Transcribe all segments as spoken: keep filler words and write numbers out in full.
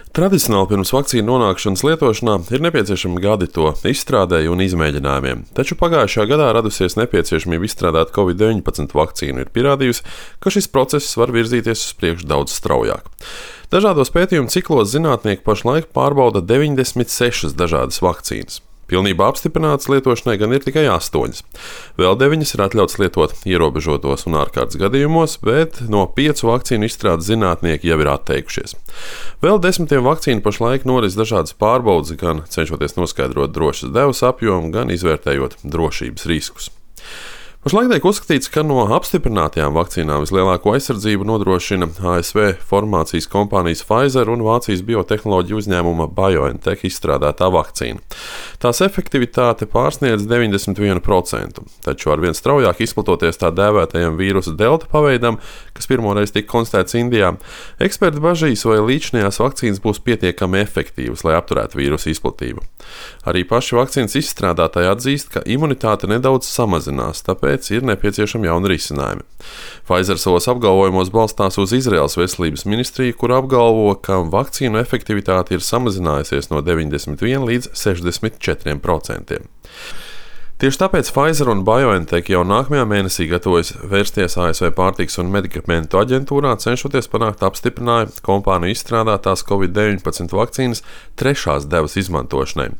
Tradicionāli pirms vakcīnu nonākšanas lietošanā ir nepieciešami gadi to izstrādēji un izmēģinājumiem, taču pagājušajā gadā radusies nepieciešamība izstrādāt covid deviņpadsmit vakcīnu ir pierādījusi, ka šis process var virzīties uz priekšu daudz straujāk. Dažādos pētījumu ciklos zinātnieki pašlaik pārbauda deviņdesmit sešas dažādas vakcīnas. Pilnībā apstiprinātas lietošanai gan ir tikai astoņas. Vēl deviņas ir atļauts lietot ierobežotos un ārkārtas gadījumos, bet no piecu vakcīnu izstrādes zinātnieki jau ir atteikušies. Vēl desmitiem vakcīnu pašlaik noris dažādas pārbaudes, gan cenšoties noskaidrot drošas devas apjomu, gan izvērtējot drošības riskus. Pašlaik tiek uzskatīts, ka no apstiprinātajām vakcīnām vislielāko aizsardzību nodrošina A S V farmācijas kompānijas Pfizer un Vācijas biotehnoloģiju uzņēmuma BioNTech izstrādātā vakcīna. Tās efektivitāte pārsniedz deviņdesmit vienu procentu, taču ar vien straujāk izplatoties tā dēvētajam vīrusa delta paveidam, kas pirmoreiz tika konstatēts Indijā, eksperti bažīs, vai līdzinājās vakcīnas būs pietiekami efektīvas, lai apturētu vīrusa izplatību. Arī paši vakcīnas izstrādātāji atzīst, ka imunitāte nedaudz samazinās, tāpēc ir nepieciešami jauni risinājumi. Pfizer savos apgalvojumos balstās uz Izraēlas veselības ministriju, kur apgalvo, ka vakcīnu efektivitāte ir samazinājusies no deviņdesmit viena līdz sešdesmit četriem procentiem. Tieši tāpēc Pfizer un BioNTech jau nākamajā mēnesī gatavojas vērsties A S V pārtikas un medikamentu aģentūrā, cenšoties panākt apstiprinājumu kompāniju izstrādātās covid deviņpadsmit vakcīnas trešās devas izmantošanai.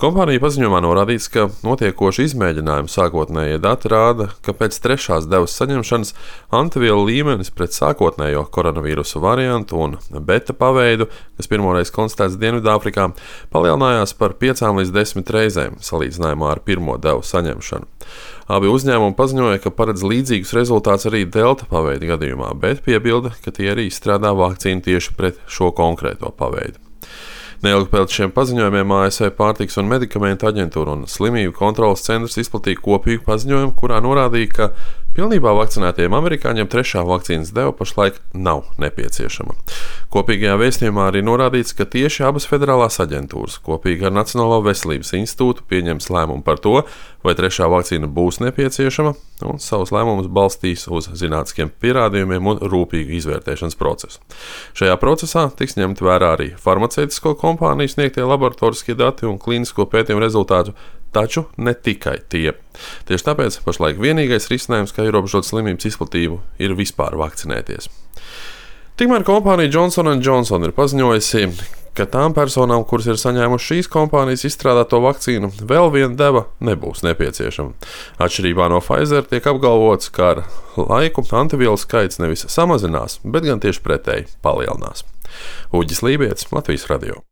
Kompānija paziņojumā norādīts, ka notiekoši izmēģinājumi sākotnējie dati rāda, ka pēc trešās devas saņemšanas antivielu līmenis pret sākotnējo koronavīrusa variantu un beta paveidu, kas pirmoreiz konstatēts Dienvidāfrikā, palielinājās par piecām līdz desmit reizēm salīdzinājumā ar pirmo devu saņemšanu. Abi uzņēmumi paziņoja, ka paredz līdzīgus rezultātus arī delta paveida gadījumā, bet piebilda, ka tie arī izstrādā vakcīnu tieši pret šo konkrēto paveidu. Neilgi pēc šiem paziņojumiem A S V pārtikas un medikamentu aģentūra un slimību kontroles centrs izplatīja kopīgu paziņojumu, kurā norādīja, ka pilnībā vakcinētiem amerikāņiem trešā vakcīnas deva pašlaik nav nepieciešama. Kopīgajā vēstījumā arī norādīts, ka tieši abas federālās aģentūras kopīgi ar Nacionālo veselības institūtu pieņems lēmumu par to, vai trešā vakcīna būs nepieciešama, un savus lēmumus balstīs uz zinātniskiem pierādījumiem un rūpīgu izvērtēšanas procesu. Šajā procesā tiks ņemt vērā arī farmaceitisko kompāniju sniegtie laboratoriskie dati un klīnisko pētījumu rezultātu, taču ne tikai tie. Tieši tāpēc pašlaik vienīgais risinājums, kā ierobežot slimības izplatību, ir vispār vakcinēties. Tikmēr kompānija Johnson and Johnson ir paziņojusi, ka tām personām, kuras ir saņēmušas šīs kompānijas izstrādāto vakcīnu, vēl viena deva nebūs nepieciešama. Atšķirībā no Pfizer tiek apgalvots, ka ar laiku antivielu skaits nevis samazinās, bet gan tieši pretēji palielinās. Uģis Lībietis, Latvijas radio.